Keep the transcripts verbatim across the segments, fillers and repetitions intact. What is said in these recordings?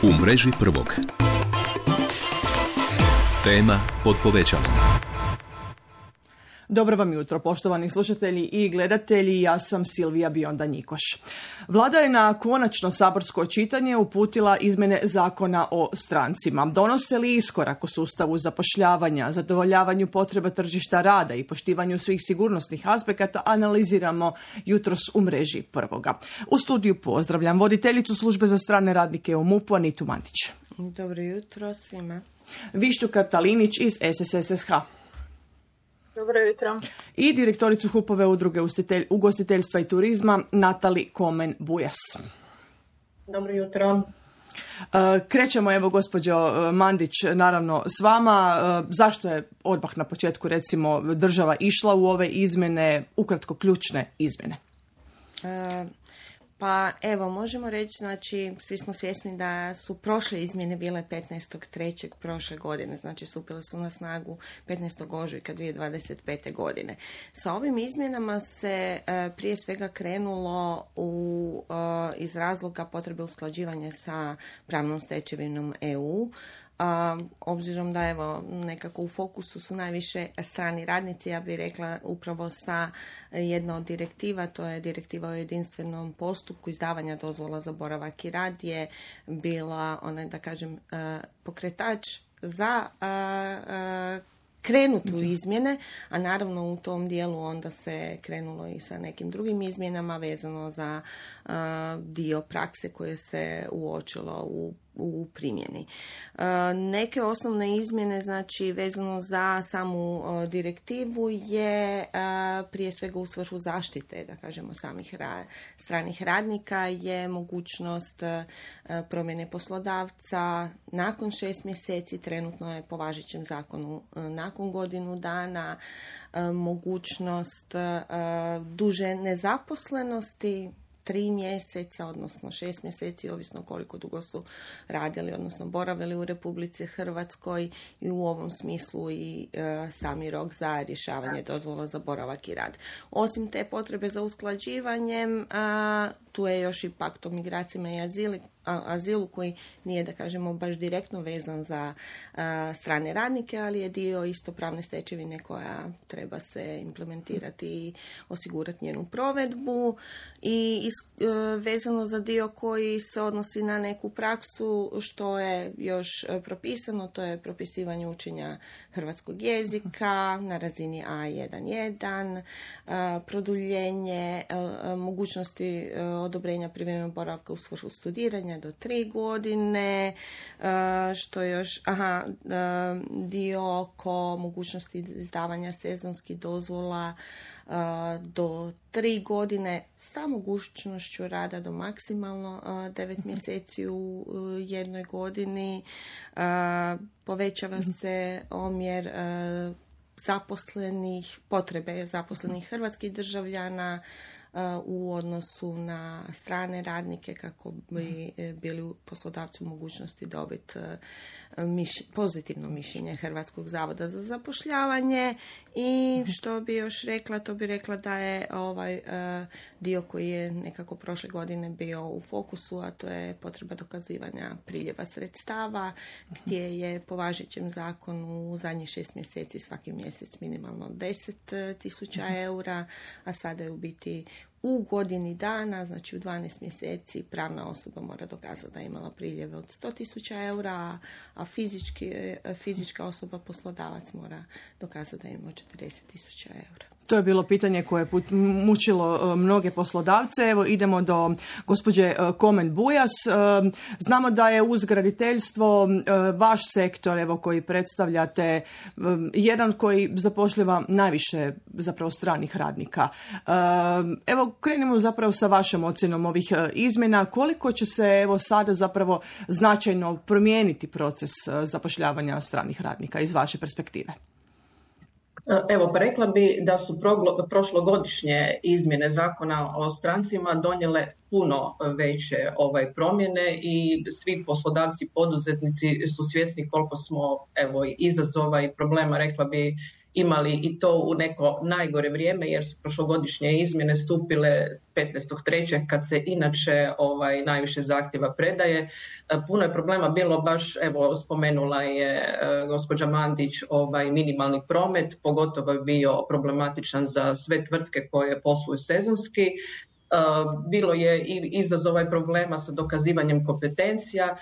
U mreži prvog. Tema pod povećalom. Dobro vam jutro, poštovani slušatelji i gledatelji, ja sam Silvija Bionda Njikoš. Vlada je na konačno saborsko čitanje uputila izmjene zakona o strancima. Donose li iskorak u sustavu zapošljavanja, zadovoljavanju potreba tržišta rada i poštivanju svih sigurnosnih aspekata, analiziramo jutros u mreži prvoga. U studiju pozdravljam voditeljicu službe za strane radnike u MUP-u Anitu Mandić. Dobro jutro svima. Vištu Katalinić iz S S S H. Dobro jutro. I direktoricu HUP-ove udruge ugostiteljstva i turizma Natali Komen-Bujas. Dobro jutro. Krećemo, evo, gospođo Mandić, naravno s vama. Zašto je odmah na početku, recimo, država išla u ove izmjene, ukratko ključne izmjene? E, pa evo, možemo reći, znači, svi smo svjesni da su prošle izmjene bile petnaestog trećeg prošle godine, znači stupile su na snagu petnaestog ožujka dvije tisuće dvadeset pete godine. Sa ovim izmjenama se e, prije svega krenulo u, e, iz razloga potrebe usklađivanja sa pravnom stečevinom E U. A, obzirom da evo nekako u fokusu su najviše strani radnici, ja bih rekla upravo sa jedna od direktiva, to je direktiva o jedinstvenom postupku izdavanja dozvola za boravak i rad, je bila onaj, da kažem, pokretač za krenuti u izmjene, a naravno u tom dijelu onda se krenulo i sa nekim drugim izmjenama vezano za uh, dio prakse koje se uočilo u u primjeni. Uh, neke osnovne izmjene, znači vezano za samu uh, direktivu, je uh, prije svega u svrhu zaštite, da kažemo, samih ra- stranih radnika, je mogućnost uh, promjene poslodavca nakon šest mjeseci, trenutno je po važećem zakonu uh, nakon godinu dana, uh, mogućnost uh, duže nezaposlenosti, tri mjeseca, odnosno šest mjeseci, ovisno koliko dugo su radili, odnosno boravili u Republici Hrvatskoj, i u ovom smislu i e, sami rok za rješavanje dozvola za boravak i rad. Osim te potrebe za usklađivanjem, a, tu je još i pakt o migracijama i azili, a, azilu, koji nije, da kažemo, baš direktno vezan za a, strane radnike, ali je dio isto pravne stečevine koja treba se implementirati i osigurati njenu provedbu. I is, e, vezano za dio koji se odnosi na neku praksu, što je još propisano, to je propisivanje učenja hrvatskog jezika na razini A jedan jedan, a, produljenje a, mogućnosti a, odobrenja privremenog boravka u svrhu studiranja do tri godine, što još, aha, dio oko mogućnosti izdavanja sezonskih dozvola do tri godine sa mogućnošću rada do maksimalno devet mjeseci u jednoj godini. Povećava se omjer zaposlenih, potrebe zaposlenih hrvatskih državljana u odnosu na strane radnike, kako bi bili poslodavci u mogućnosti dobiti miš, pozitivno mišljenje Hrvatskog zavoda za zapošljavanje. I što bi još rekla, to bi rekla da je ovaj uh, dio koji je nekako prošle godine bio u fokusu, a to je potreba dokazivanja priljeva sredstava, gdje je po važećem zakonu u zadnjih šest mjeseci svaki mjesec minimalno deset tisuća eura, a sada je u biti u godini dana, znači u dvanaest mjeseci, pravna osoba mora dokazati da je imala priljeve od sto tisuća eura, a fizički, fizička osoba, poslodavac, mora dokazati da je imao četrdeset tisuća eura. To je bilo pitanje koje je mučilo mnoge poslodavce. Evo, idemo do gospođe Komen-Bujas. Znamo da je uz graditeljstvo vaš sektor, evo, koji predstavljate, jedan koji zapošljava najviše zapravo stranih radnika. Evo, krenimo zapravo sa vašom ocjenom ovih izmjena. Koliko će se, evo, sada zapravo značajno promijeniti proces zapošljavanja stranih radnika iz vaše perspektive? Evo, pa rekla bi da su proglo, prošlogodišnje izmjene zakona o strancima donijele puno veće ovaj promjene i svi poslodavci, poduzetnici su svjesni koliko smo, evo, izazova i problema, rekla bi, imali i to u neko najgore vrijeme jer su prošlogodišnje izmjene stupile petnaestog trećeg kad se inače ovaj, najviše zahtjeva predaje. Puno je problema bilo baš, evo spomenula je e, gospođa Mandić, ovaj minimalni promet, pogotovo je bio problematičan za sve tvrtke koje posluju sezonski. Bilo je i izazova i problema sa dokazivanjem kompetencija,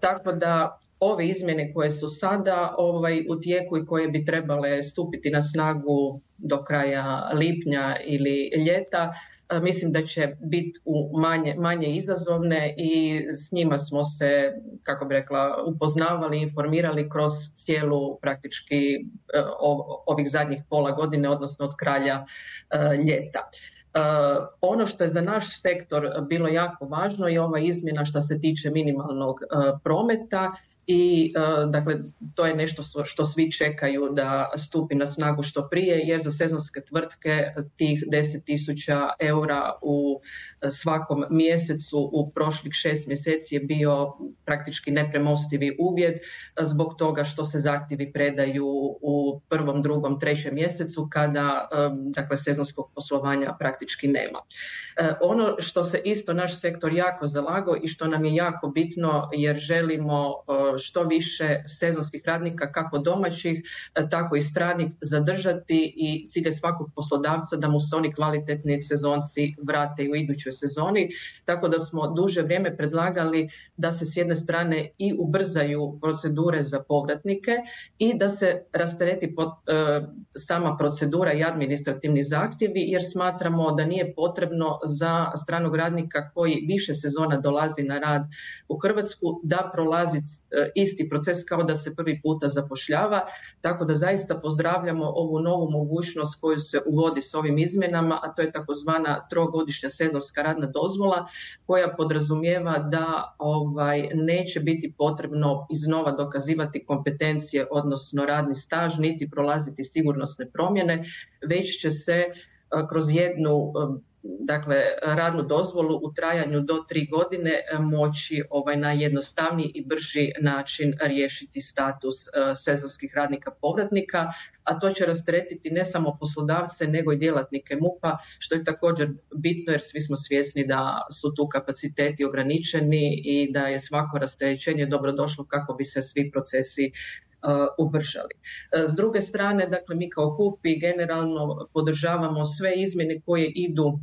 tako da ove izmjene koje su sada ovaj, u tijeku i koje bi trebale stupiti na snagu do kraja lipnja ili ljeta, mislim da će biti manje, manje izazovne i s njima smo se, kako bi rekla, upoznavali, informirali kroz cijelu praktički ovih zadnjih pola godine, odnosno od kraja ljeta. Uh, ono što je za naš sektor bilo jako važno je ova izmjena što se tiče minimalnog uh, prometa i uh, dakle to je nešto što svi čekaju da stupi na snagu što prije jer za sezonske tvrtke tih deset tisuća eura u svakom mjesecu u prošlih šest mjeseci je bio praktički nepremostivi uvjet zbog toga što se zahtjevi predaju u prvom, drugom, trećem mjesecu kada um, dakle sezonskog poslovanja praktički nema. Uh, ono što se isto naš sektor jako zalagao i što nam je jako bitno jer želimo uh, što više sezonskih radnika, kako domaćih, tako i stranih, zadržati i cilj je svakog poslodavca da mu se oni kvalitetni sezonci vrate u idućoj sezoni. Tako da smo duže vrijeme predlagali da se s jedne strane i ubrzaju procedure za povratnike i da se rastereti pod, e, sama procedura i administrativni zahtjevi jer smatramo da nije potrebno za stranog radnika koji više sezona dolazi na rad u Hrvatsku da prolazi e, isti proces kao da se prvi puta zapošljava, tako da zaista pozdravljamo ovu novu mogućnost koju se uvodi s ovim izmjenama, a to je takozvana trogodišnja sezonska radna dozvola koja podrazumijeva da ovaj, neće biti potrebno iznova dokazivati kompetencije, odnosno radni staž, niti prolaziti sigurnosne promjene, već će se kroz jednu dakle radnu dozvolu u trajanju do tri godine moći ovaj na jednostavniji i brži način riješiti status uh, sezonskih radnika povratnika, a to će rasteretiti ne samo poslodavce nego i djelatnike MUP-a, što je također bitno jer svi smo svjesni da su tu kapaciteti ograničeni i da je svako rasterećenje dobrodošlo kako bi se svi procesi Uh, ubržali. Uh, s druge strane, dakle, mi kao H U P I generalno podržavamo sve izmjene koje idu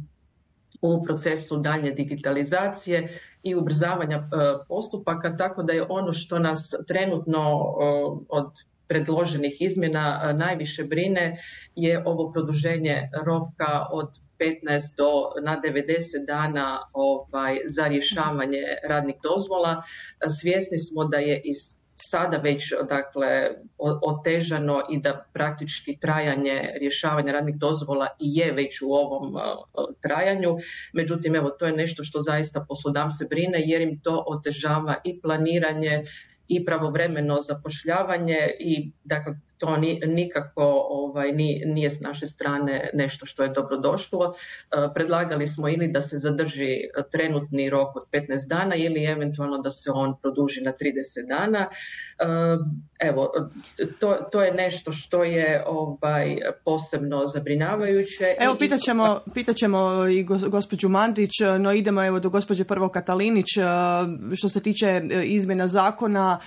u procesu daljnje digitalizacije i ubrzavanja uh, postupaka, tako da je ono što nas trenutno uh, od predloženih izmjena uh, najviše brine je ovo produženje roka od petnaest do na devedeset dana ovaj, za rješavanje radnih dozvola. Uh, svjesni smo da je iz sada već dakle otežano i da praktički trajanje rješavanja radnih dozvola i je već u ovom uh, trajanju. Međutim, evo to je nešto što zaista poslodavce brine jer im to otežava i planiranje i pravovremeno zapošljavanje i dakle to ni, nikako ovaj, ni, nije s naše strane nešto što je dobrodošlo. Uh, predlagali smo ili da se zadrži trenutni rok od petnaest dana ili eventualno da se on produži na trideset dana. Uh, evo, to, to je nešto što je ovaj, posebno zabrinjavajuće. Evo, pitat ćemo, pitat ćemo i gospođu Mandić, no idemo evo do gospođe prvo Katalinić. Što se tiče izmjena zakona,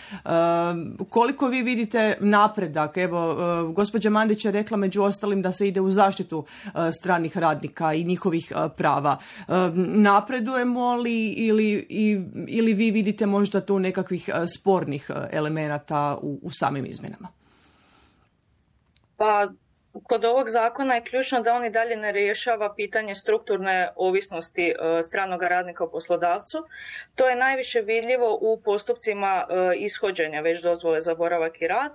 koliko vi vidite napredak? Evo, gospođa Mandić je rekla među ostalim da se ide u zaštitu stranih radnika i njihovih prava. Napredujemo li ili, ili vi vidite možda tu nekakvih spornih elemenata u, u samim izmjenama? Pa, kod ovog zakona je ključno da on i dalje ne rješava pitanje strukturne ovisnosti stranog radnika o poslodavcu. To je najviše vidljivo u postupcima ishođenja već dozvole za boravak i rad.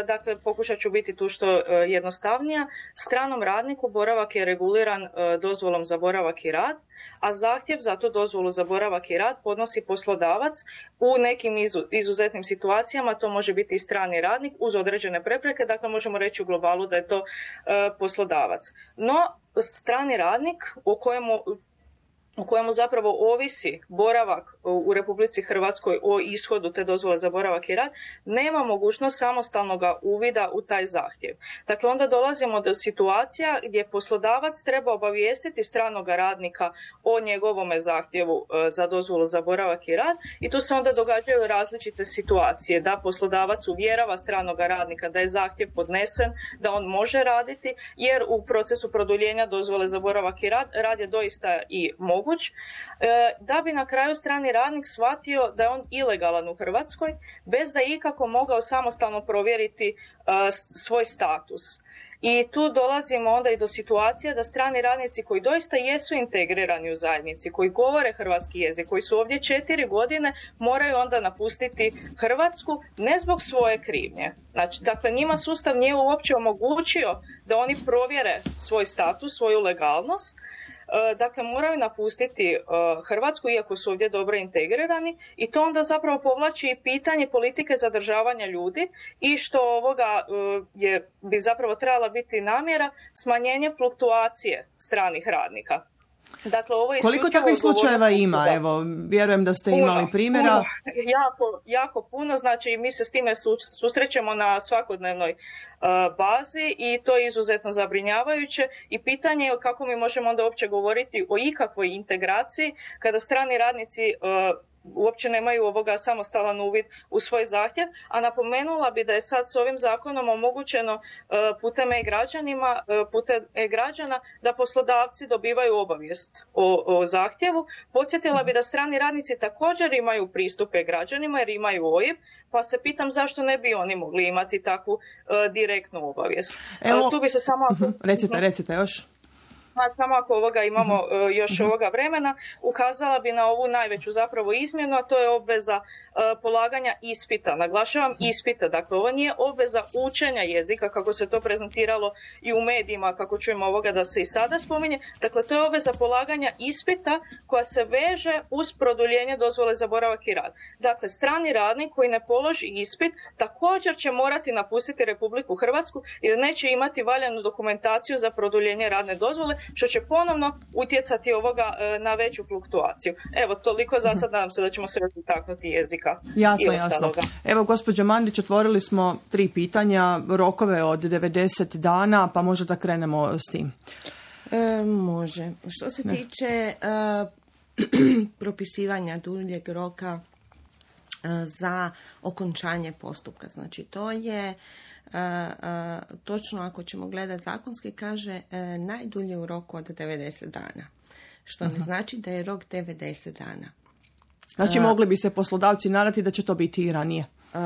Dakle, pokušat ću biti tu što jednostavnija. Stranom radniku boravak je reguliran dozvolom za boravak i rad, a zahtjev za tu dozvolu za boravak i rad podnosi poslodavac. U nekim izuzetnim situacijama to može biti i strani radnik uz određene prepreke, dakle možemo reći u globalu da je to e, poslodavac. No, strani radnik o kojemu u kojemu zapravo ovisi boravak u Republici Hrvatskoj o ishodu te dozvole za boravak i rad, nema mogućnost samostalnog uvida u taj zahtjev. Dakle, onda dolazimo do situacija gdje poslodavac treba obavijestiti stranog radnika o njegovome zahtjevu za dozvolu za boravak i rad i tu se onda događaju različite situacije, da poslodavac uvjerava stranog radnika da je zahtjev podnesen, da on može raditi, jer u procesu produljenja dozvole za boravak i rad, rad je doista i moguć, da bi na kraju strani radnik shvatio da je on ilegalan u Hrvatskoj bez da je ikako mogao samostalno provjeriti svoj status. I tu dolazimo onda i do situacije da strani radnici koji doista jesu integrirani u zajednici, koji govore hrvatski jezik, koji su ovdje četiri godine, moraju onda napustiti Hrvatsku ne zbog svoje krivnje. Znači, dakle, njima sustav nije uopće omogućio da oni provjere svoj status, svoju legalnost. Dakle, moraju napustiti Hrvatsku, iako su ovdje dobro integrirani, i to onda zapravo povlači i pitanje politike zadržavanja ljudi i što ovoga je, bi zapravo trebala biti namjera smanjenje fluktuacije stranih radnika. Dakle, ovo je koliko takvih slučajeva ima? Evo, vjerujem da ste puno, imali primjera. Puno, jako, jako puno, znači mi se s time susrećemo na svakodnevnoj uh, bazi i to je izuzetno zabrinjavajuće i pitanje je kako mi možemo onda uopće govoriti o ikakvoj integraciji kada strani radnici uh, uopće nemaju ovoga samostalan uvid u svoj zahtjev, a napomenula bi da je sad s ovim zakonom omogućeno uh, putem e-građanima, uh, putem e-građana da poslodavci dobivaju obavijest o, o zahtjevu. Podsjetila bi da strani radnici također imaju pristup e-građanima jer imaju O I B, pa se pitam zašto ne bi oni mogli imati takvu uh, direktnu obavijest. Evo, uh, tu bi se samo... recite, recite još. Samo ako ovoga imamo uh, još ovoga vremena, ukazala bi na ovu najveću zapravo izmjenu, a to je obveza uh, polaganja ispita. Naglašavam ispita, dakle ovo nije obveza učenja jezika kako se to prezentiralo i u medijima, kako čujemo ovoga da se i sada spominje. Dakle, to je obveza polaganja ispita koja se veže uz produljenje dozvole za boravak i rad. Dakle, strani radnik koji ne položi ispit također će morati napustiti Republiku Hrvatsku jer neće imati valjanu dokumentaciju za produljenje radne dozvole, što će ponovno utjecati ovoga na veću fluktuaciju. Evo, toliko za sad, nadam se da ćemo se dotaknuti jezika. Jasno, jasno. Evo, gospođo Mandić, otvorili smo tri pitanja, rokove od devedeset dana, pa možda da krenemo s tim. E, može. Što se ne. tiče uh, propisivanja duljeg roka uh, za okončanje postupka, znači to je Uh, uh, točno ako ćemo gledati zakonski, kaže uh, najdulje u roku od devedeset dana. Što uh-huh. ne znači da je rok devedeset dana. Znači uh, mogli bi se poslodavci nadati da će to biti i ranije? Uh,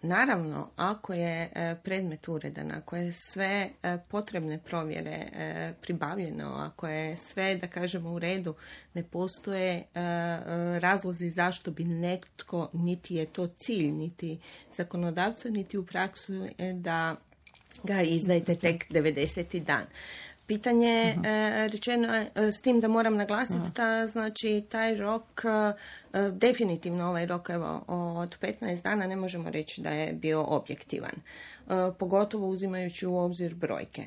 naravno, ako je uh, predmet uredan, ako je sve uh, potrebne provjere uh, pribavljeno, ako je sve, da kažemo, u redu, ne postoje uh, razlozi zašto bi netko, niti je to cilj, niti zakonodavca, niti u praksu da ga izdajete tek devedeseti dan. Pitanje je uh-huh. rečeno je s tim da moram naglasiti uh-huh. da znači taj rok, definitivno ovaj rok evo, od petnaest dana ne možemo reći da je bio objektivan. Pogotovo uzimajući u obzir brojke.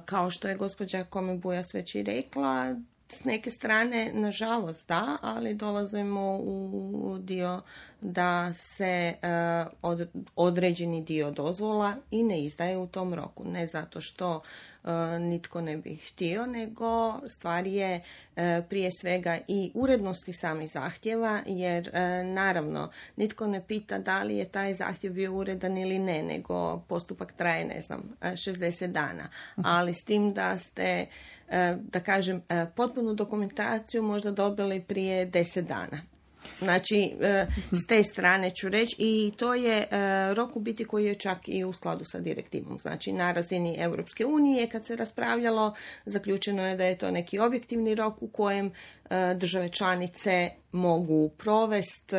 Kao što je gospođa Komen-Bujas već i rekla, s neke strane, nažalost, da, ali dolazimo u dio da se uh, od, određeni dio dozvola i ne izdaje u tom roku. Ne zato što uh, nitko ne bi htio, nego stvar je uh, prije svega i urednosti samih zahtjeva, jer uh, naravno nitko ne pita da li je taj zahtjev bio uredan ili ne, nego postupak traje, ne znam, šezdeset dana. Ali s tim da ste, uh, da kažem, uh, potpunu dokumentaciju možda dobili prije deset dana. Znači, s te strane ću reći, i to je rok u biti koji je čak i u skladu sa direktivom. Znači, na razini Europske unije kad se raspravljalo, zaključeno je da je to neki objektivni rok u kojem države članice mogu provesti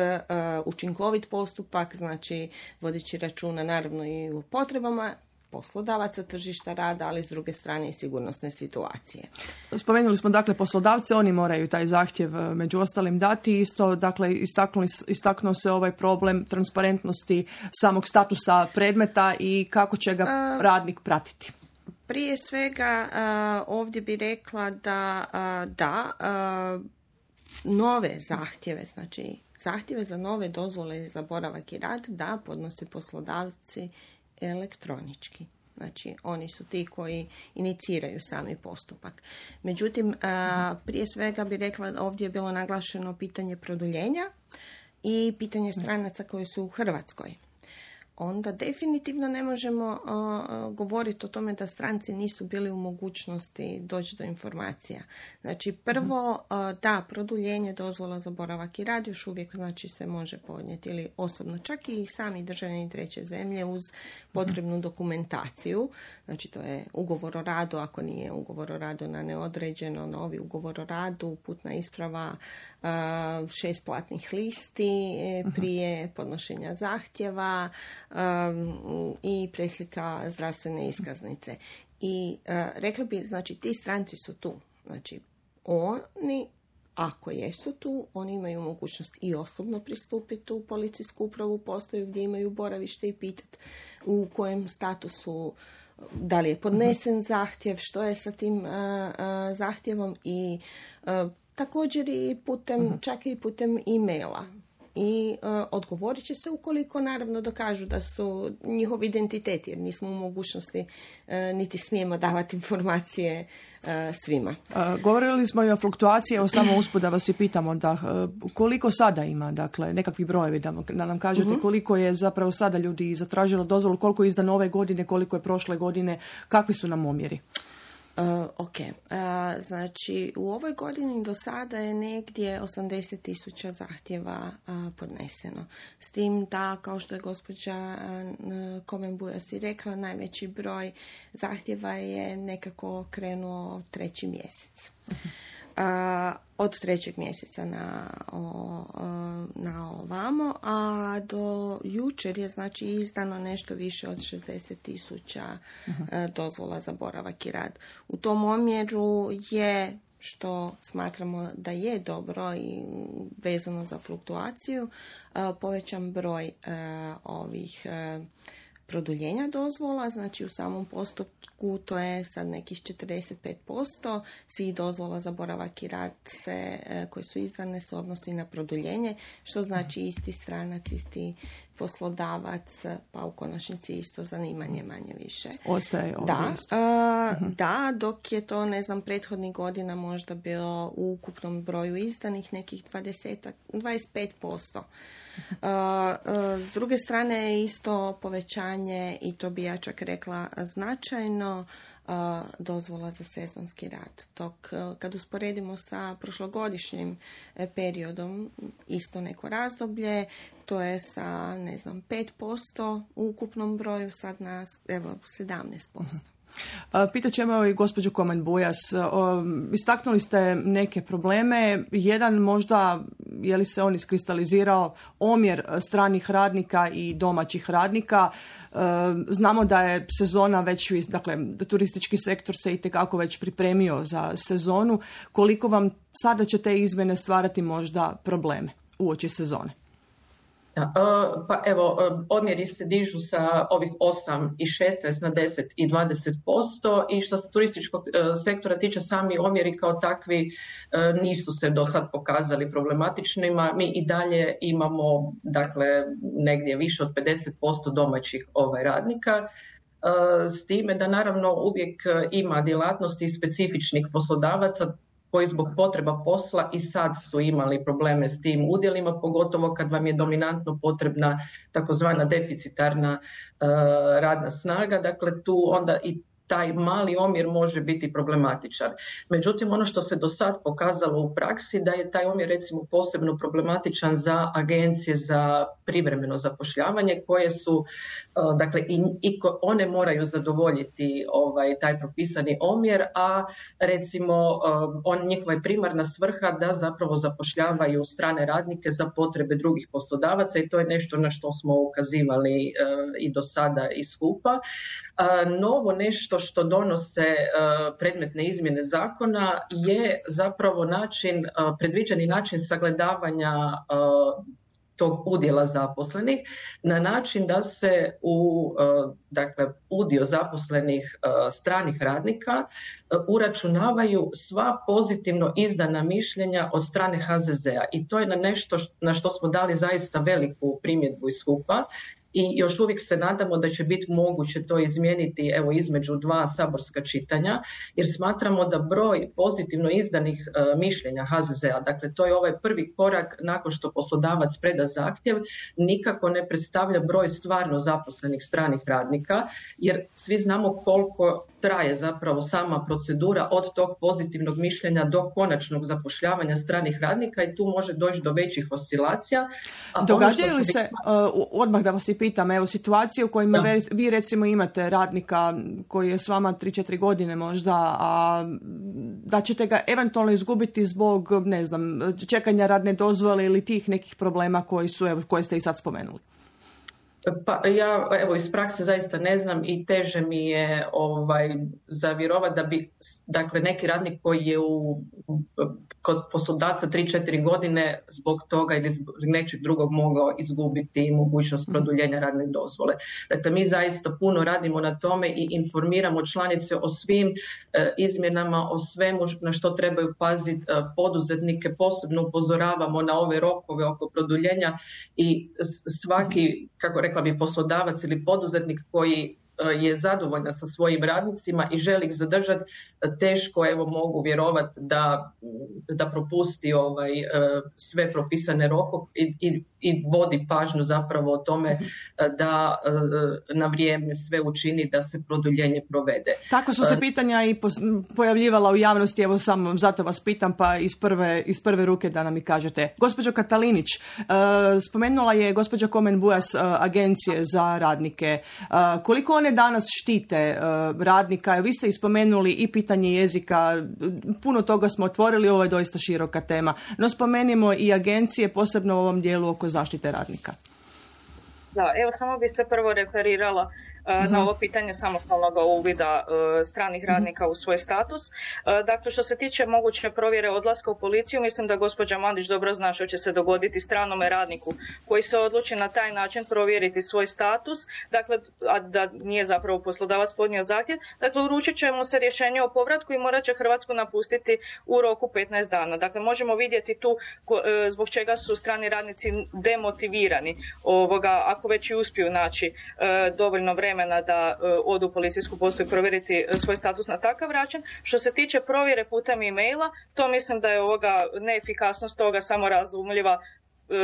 učinkovit postupak, znači vodeći računa naravno i o potrebama poslodavaca, tržišta rada, ali s druge strane i sigurnosne situacije. Spomenuli smo dakle poslodavce, oni moraju taj zahtjev među ostalim dati. Isto dakle istaknuli, istaknuo se ovaj problem transparentnosti samog statusa predmeta i kako će ga A, radnik pratiti. Prije svega ovdje bi rekla da da nove zahtjeve, znači zahtjeve za nove dozvole za boravak i rad da podnose poslodavci elektronički. Znači, oni su ti koji iniciraju sami postupak. Međutim, prije svega bi rekla, ovdje je bilo naglašeno pitanje produljenja i pitanje stranaca koji su u Hrvatskoj. Onda definitivno ne možemo uh, govoriti o tome da stranci nisu bili u mogućnosti doći do informacija. Znači, prvo, uh, da, produljenje dozvola za boravak i rad još uvijek znači, se može podnijeti ili osobno, čak i sami državljani treće zemlje uz potrebnu dokumentaciju. Znači, to je ugovor o radu, ako nije ugovor o radu na neodređeno, novi ugovor o radu, putna isprava, uh, šest platnih listi prije podnošenja zahtjeva, Um, i preslika zdravstvene iskaznice. I uh, rekla bi, znači, ti stranci su tu. Znači, oni, ako jesu tu, oni imaju mogućnost i osobno pristupiti u policijsku upravu, postaju gdje imaju boravište i pitati u kojem statusu, da li je podnesen zahtjev, što je sa tim uh, uh, zahtjevom i uh, također i putem, čak i putem e-maila. I uh, odgovorit će se ukoliko naravno dokažu da su njihov identitet, jer nismo u mogućnosti uh, niti smijemo davati informacije uh, svima. Uh, govorili smo i o fluktuaciji, evo samo usput da vas i pitamo da uh, koliko sada ima, dakle, nekakvi brojevi da, da nam kažete uh-huh. koliko je zapravo sada ljudi zatražilo dozvolu, koliko je izdano ove godine, koliko je prošle godine, kakvi su nam omjeri? Uh, ok, uh, znači u ovoj godini do sada je negdje osamdeset tisuća zahtjeva uh, podneseno. S tim da, kao što je gospođa uh, Komen-Bujas i rekla, najveći broj zahtjeva je nekako krenuo treći mjesec. Uh, od trećeg mjeseca na, o, na ovamo, a do jučer je znači izdano nešto više od šezdeset tisuća uh-huh. dozvola za boravak i rad. U tom omjeru je, što smatramo da je dobro i vezano za fluktuaciju, uh, povećan broj uh, ovih uh, produljenja dozvola, znači u samom postupku to je sad nekih četrdeset pet posto svih dozvola za boravak i rad se, koje su izdane se odnosi na produljenje, što znači isti stranac, isti poslodavac, pa u konačnici isto zanimanje manje više. Ostaje ovdje da, isto. Uh, uh-huh. Da, dok je to, ne znam, prethodnih godina možda bilo u ukupnom broju izdanih nekih dvadeset, dvadeset pet posto. Uh, uh, s druge strane je isto povećanje, i to bi ja čak rekla značajno, uh, dozvola za sezonski rad. Dok uh, kad usporedimo sa prošlogodišnjim uh, periodom, isto neko razdoblje, to je sa, ne znam, pet posto u ukupnom broju, sad na, evo, sedamnaest posto. Pitat ćemo i gospođu Komen-Bujas. Istaknuli ste neke probleme. Jedan možda, je li se on iskristalizirao, omjer stranih radnika i domaćih radnika. Znamo da je sezona već, dakle, turistički sektor se itekako već pripremio za sezonu. Koliko vam sada će te izmjene stvarati možda probleme uoči sezone? Da, pa evo, omjeri se dižu sa ovih osam i šesnaest na deset i dvadeset posto i što se turističkog sektora tiče, sami omjeri kao takvi nisu se do sad pokazali problematičnima. Mi i dalje imamo, dakle, negdje više od pedeset posto domaćih ovaj, radnika, s time da naravno uvijek ima djelatnosti specifičnih poslodavaca koji zbog potreba posla i sad su imali probleme s tim udjelima, pogotovo kad vam je dominantno potrebna takozvana deficitarna uh, radna snaga. Dakle, tu onda i taj mali omjer može biti problematičan. Međutim, ono što se do sad pokazalo u praksi, da je taj omjer recimo posebno problematičan za agencije za privremeno zapošljavanje, koje su, dakle, i, i one moraju zadovoljiti ovaj, taj propisani omjer, a recimo on, njihova je primarna svrha da zapravo zapošljavaju strane radnike za potrebe drugih poslodavaca i to je nešto na što smo ukazivali i do sada i skupa. Novo nešto što donose uh, predmetne izmjene zakona je zapravo način, uh, predviđeni način sagledavanja uh, tog udjela zaposlenih na način da se u dakle, udio zaposlenih stranih radnika uračunavaju sva pozitivno izdana mišljenja od strane H Z Z-a i to je na nešto na što smo dali zaista veliku primjedbu iz H U P-a. I još uvijek se nadamo da će biti moguće to izmijeniti evo između dva saborska čitanja, jer smatramo da broj pozitivno izdanih e, mišljenja H Z Z-a, dakle to je ovaj prvi korak nakon što poslodavac preda zahtjev, nikako ne predstavlja broj stvarno zaposlenih stranih radnika, jer svi znamo koliko traje zapravo sama procedura od tog pozitivnog mišljenja do konačnog zapošljavanja stranih radnika i tu može doći do većih oscilacija. A događaju ono li se, uh, odmah da vas i pitam, evo situacije u kojima ve, vi recimo imate radnika koji je s vama tri četiri godine možda, a da ćete ga eventualno izgubiti zbog, ne znam, čekanja radne dozvole ili tih nekih problema koji su, evo, koje ste i sad spomenuli? Pa ja evo iz prakse zaista ne znam i teže mi je ovaj, zavjerovati da bi dakle neki radnik koji je u, kod poslodavca tri četiri godine zbog toga ili zbog nečeg drugog mogao izgubiti mogućnost produljenja radne dozvole. Dakle mi zaista puno radimo na tome i informiramo članice o svim e, izmjenama, o svemu na što trebaju paziti e, poduzetnike, posebno upozoravamo na ove rokove oko produljenja i svaki, kako rekla bi, poslodavac ili poduzetnik koji je zadovoljna sa svojim radnicima i želi ih zadržati, teško evo mogu vjerovati da, da propusti ovaj, sve propisane rokove i, i, i vodi pažnju zapravo o tome da na vrijeme sve učini da se produljenje provede. Tako su se pitanja i pojavljivala u javnosti, evo samo zato vas pitam pa iz prve, iz prve ruke da nam i kažete. Gospođo Katalinić, spomenula je gospođa Komen Bujas agencije za radnike. Koliko one danas štite radnika? Vi ste ispomenuli i pitanje jezika, puno toga smo otvorili, ovo je doista široka tema. No spomenimo i agencije, posebno u ovom dijelu oko zaštite radnika. Da, evo samo bi se prvo referirala uh, na ovo pitanje samostalnog uvida uh, stranih radnika u svoj status. Uh, dakle, što se tiče moguće provjere odlaska u policiju, mislim da gospođa Mandić dobro zna što će se dogoditi stranome radniku koji se odluči na taj način provjeriti svoj status, dakle, a da nije zapravo poslodavac podnio zahtjev. Dakle, uručit će mu se rješenje o povratku i morat će Hrvatsku napustiti u roku petnaest dana. Dakle, možemo vidjeti tu uh, zbog čega su strani radnici demotivirani ovoga, ako već i uspiju naći uh, dovoljno vremena da uh, odu u policijsku postaju provjeriti uh, svoj status na takav način. Što se tiče provjere putem e-maila, to mislim da je ovoga neefikasnost toga samo razumljiva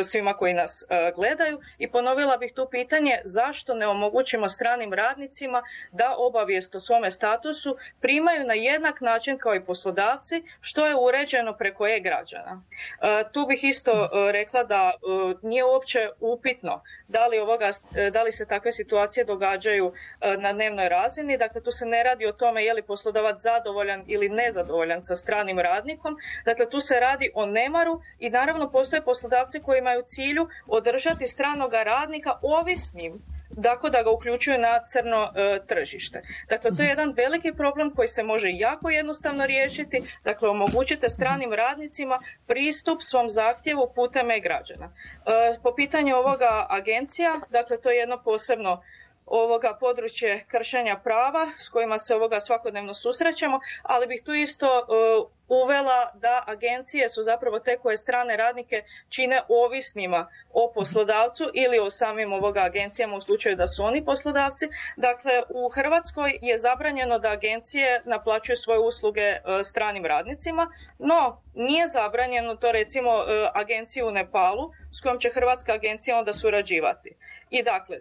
svima koji nas uh, gledaju i ponovila bih tu pitanje zašto ne omogućimo stranim radnicima da obavijest o svome statusu primaju na jednak način kao i poslodavci, što je uređeno preko e-građana. Uh, tu bih isto uh, rekla da uh, nije uopće upitno da li, ovoga, uh, da li se takve situacije događaju uh, na dnevnoj razini. Dakle, tu se ne radi o tome je li poslodavac zadovoljan ili nezadovoljan sa stranim radnikom. Dakle, tu se radi o nemaru i naravno postoje poslodavci koji imaju u cilju održati stranoga radnika ovisnim, dakle da ga uključuju na crno e, tržište. Dakle, to je jedan veliki problem koji se može jako jednostavno riješiti. Dakle, omogućite stranim radnicima pristup svom zahtjevu putem e-građana. E, po pitanju ovoga agencija, dakle, to je jedno posebno ovoga područje kršenja prava s kojima se ovoga svakodnevno susrećemo, ali bih tu isto uh, uvela da agencije su zapravo te koje strane radnike čine ovisnima o poslodavcu ili o samim ovoga agencijama u slučaju da su oni poslodavci. Dakle, u Hrvatskoj je zabranjeno da agencije naplaćuju svoje usluge uh, stranim radnicima, no nije zabranjeno to recimo uh, agenciji u Nepalu s kojom će hrvatska agencija onda surađivati. I dakle,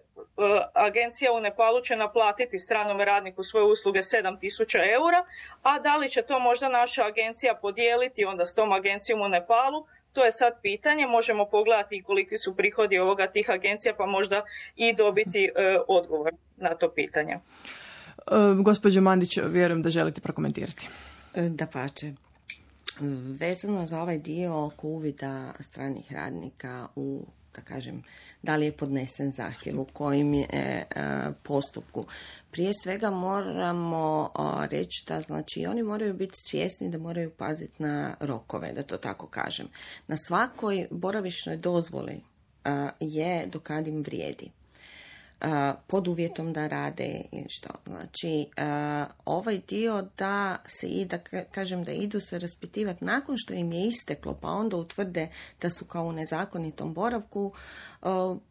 agencija u Nepalu će naplatiti stranom radniku svoje usluge sedam tisuća eura, a da li će to možda naša agencija podijeliti onda s tom agencijom u Nepalu, to je sad pitanje. Možemo pogledati koliki su prihodi ovoga tih agencija, pa možda i dobiti e, odgovor na to pitanje. E, gospođo Mandić, vjerujem da želite prokomentirati. Dapače. Vezano za ovaj dio oko uvida stranih radnika u, da kažem, da li je podnesen zahtjev, u kojim je e, postupku. Prije svega moramo a, reći da znači, oni moraju biti svjesni da moraju paziti na rokove, da to tako kažem. Na svakoj boravišnoj dozvoli je do kad im vrijedi. Pod uvjetom da rade i što. Znači, ovaj dio da se i da kažem da idu se raspitivati nakon što im je isteklo, pa onda utvrde da su kao u nezakonitom boravku,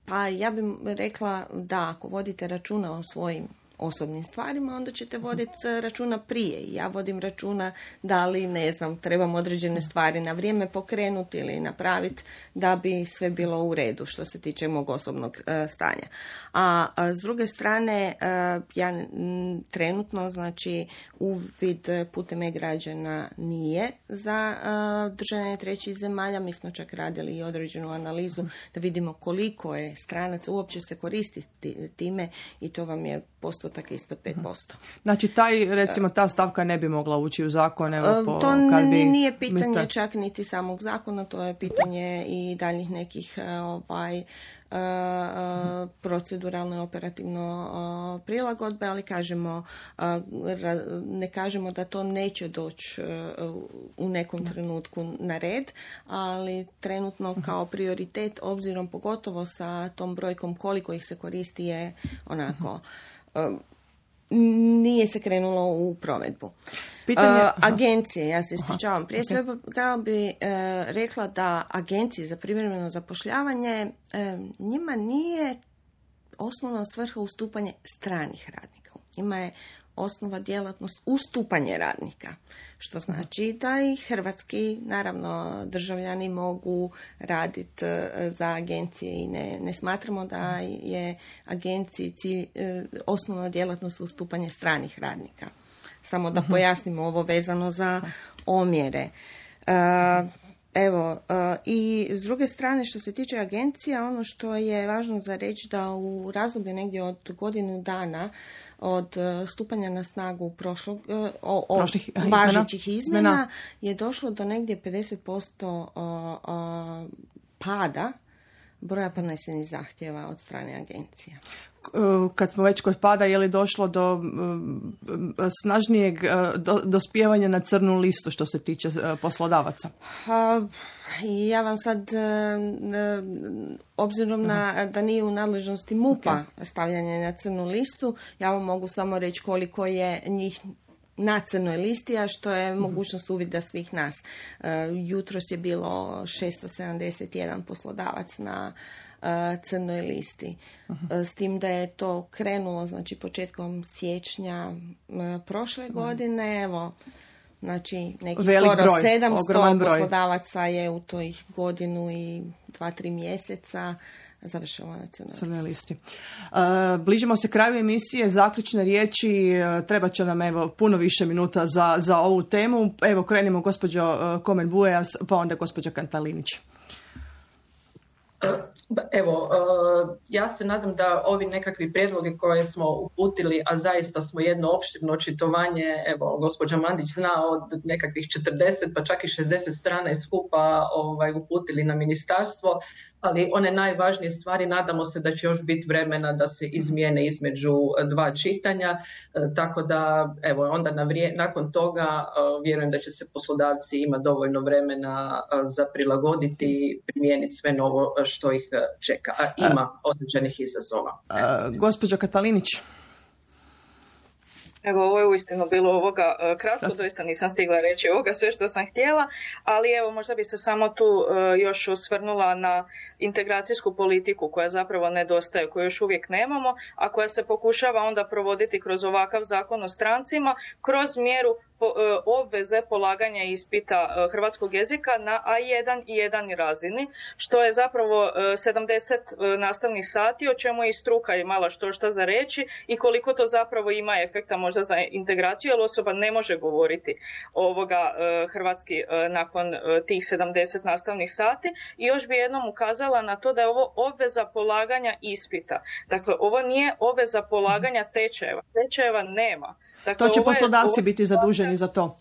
pa ja bih rekla da ako vodite računa o svojim osobnim stvarima, onda ćete voditi računa prije. Ja vodim računa da li, ne znam, trebam određene stvari na vrijeme pokrenuti ili napraviti da bi sve bilo u redu što se tiče mog osobnog uh, stanja. A, a s druge strane, uh, ja m, trenutno, znači, uvid putem e-građana nije za uh, državljane trećih zemalja. Mi smo čak radili i određenu analizu da vidimo koliko je stranaca uopće se koristiti time i to vam je postotak ispod pet posto. Znači, taj, recimo, ta stavka ne bi mogla ući u zakon? Evo, po, to kad bi, nije pitanje misle... čak niti samog zakona, to je pitanje i daljih nekih ovaj, proceduralno i operativno prilagodbe, ali kažemo, ne kažemo da to neće doći u nekom trenutku na red, ali trenutno kao prioritet, obzirom pogotovo sa tom brojkom koliko ih se koristi, je onako... nije se krenulo u provedbu. Pitanje... Uh, agencije, ja se ispričavam. Prije okay. svega kao bi uh, rekla da agencije za privremeno zapošljavanje uh, njima nije osnovna svrha ustupanje stranih radnika. Njima je osnova djelatnost ustupanje radnika, što znači da i hrvatski, naravno, državljani mogu raditi za agencije i ne, ne smatramo da je agenciji cilj, osnovna djelatnost ustupanje stranih radnika. Samo da pojasnimo ovo vezano za omjere. Evo, i s druge strane, što se tiče agencija, ono što je važno za reći da u razdoblju negdje od godinu dana od stupanja na snagu prošlog, o, o važećih izmjena, izmjena je došlo do negdje pedeset posto o, o, pada broja podnesenih zahtjeva od strane agencija. Kad smo već kod pada, je li došlo do um, snažnijeg do, dospijevanja na crnu listu što se tiče uh, poslodavaca? A, ja vam sad, uh, obzirom na, da nije u nadležnosti MUP-a okay. stavljanje na crnu listu, ja vam mogu samo reći koliko je njih na crnoj listi, a što je mogućnost uvida svih nas. Uh, jutros je bilo šesto sedamdeset jedan poslodavac na uh, crnoj listi. Uh, s tim da je to krenulo, znači, početkom siječnja uh, prošle uh-huh. godine, evo, znači, neki Velik skoro broj, sedamsto poslodavaca je u toj godinu i dva, tri mjeseca završila na crnoj listi. Uh, bližimo se kraju emisije, zaključne riječi, uh, treba će nam evo puno više minuta za, za ovu temu. Evo, krenimo gospođo uh, Komen Bujas, pa onda gospođa Kantalinić. Evo, ja se nadam da ovi nekakvi prijedloge koje smo uputili, a zaista smo jedno opširno očitovanje, evo, gospođa Mandić zna, od nekakvih četrdeset pa čak i šezdeset strana iz skupa ovaj, uputili na ministarstvo, ali one najvažnije stvari nadamo se da će još biti vremena da se izmijene između dva čitanja, tako da evo onda na vrije, nakon toga vjerujem da će se poslodavci imati dovoljno vremena za prilagoditi i primijeniti sve novo što ih čeka, a ima određenih izazova. A, gospođa Katalinić. Evo, ovo je uistinu bilo ovoga kratko, doista nisam stigla reći ovoga sve što sam htjela, ali evo možda bi se samo tu još osvrnula na integracijsku politiku koja zapravo nedostaje, koju još uvijek nemamo, a koja se pokušava onda provoditi kroz ovakav zakon o strancima, kroz mjeru obveze polaganja ispita hrvatskog jezika na A jedan i jedan razini, što je zapravo sedamdeset nastavnih sati, o čemu je i struka imala što šta za reći i koliko to zapravo ima efekta možda za integraciju, jer osoba ne može govoriti ovoga hrvatski nakon tih sedamdeset nastavnih sati. I još bi jednom ukazala na to da je ovo obveza polaganja ispita. Dakle, ovo nije obveza polaganja tečajeva. Tečajeva nema. Dakle, to će poslodavci je, biti zaduženi za to.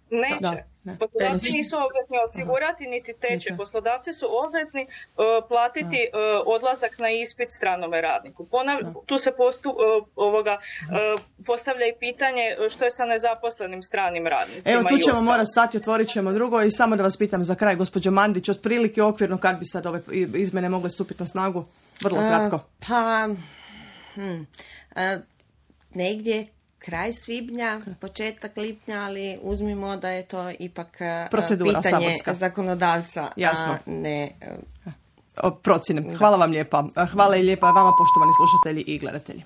Neće. Da. Ne. Poslodavci nisu obvezni osigurati, niti tečaj. Poslodavci su obvezni uh, platiti uh, odlazak na ispit stranome radniku. Ponav, tu se postu, uh, ovoga, uh, postavlja i pitanje što je sa nezaposlenim stranim radnicima. Evo, tu ćemo morati stati, otvorit ćemo drugo i samo da vas pitam za kraj, gospođo Mandić, otprilike okvirno kad bi sad ove izmjene mogle stupiti na snagu? Vrlo kratko. Uh, pa, hmm, uh, negdje kraj svibnja, početak lipnja, ali uzmimo da je to ipak procedura pitanje saborska. Zakonodavca, jasno. A ne procjene. Hvala vam lijepa. Hvala i lijepa vama, poštovani slušatelji i gledatelji.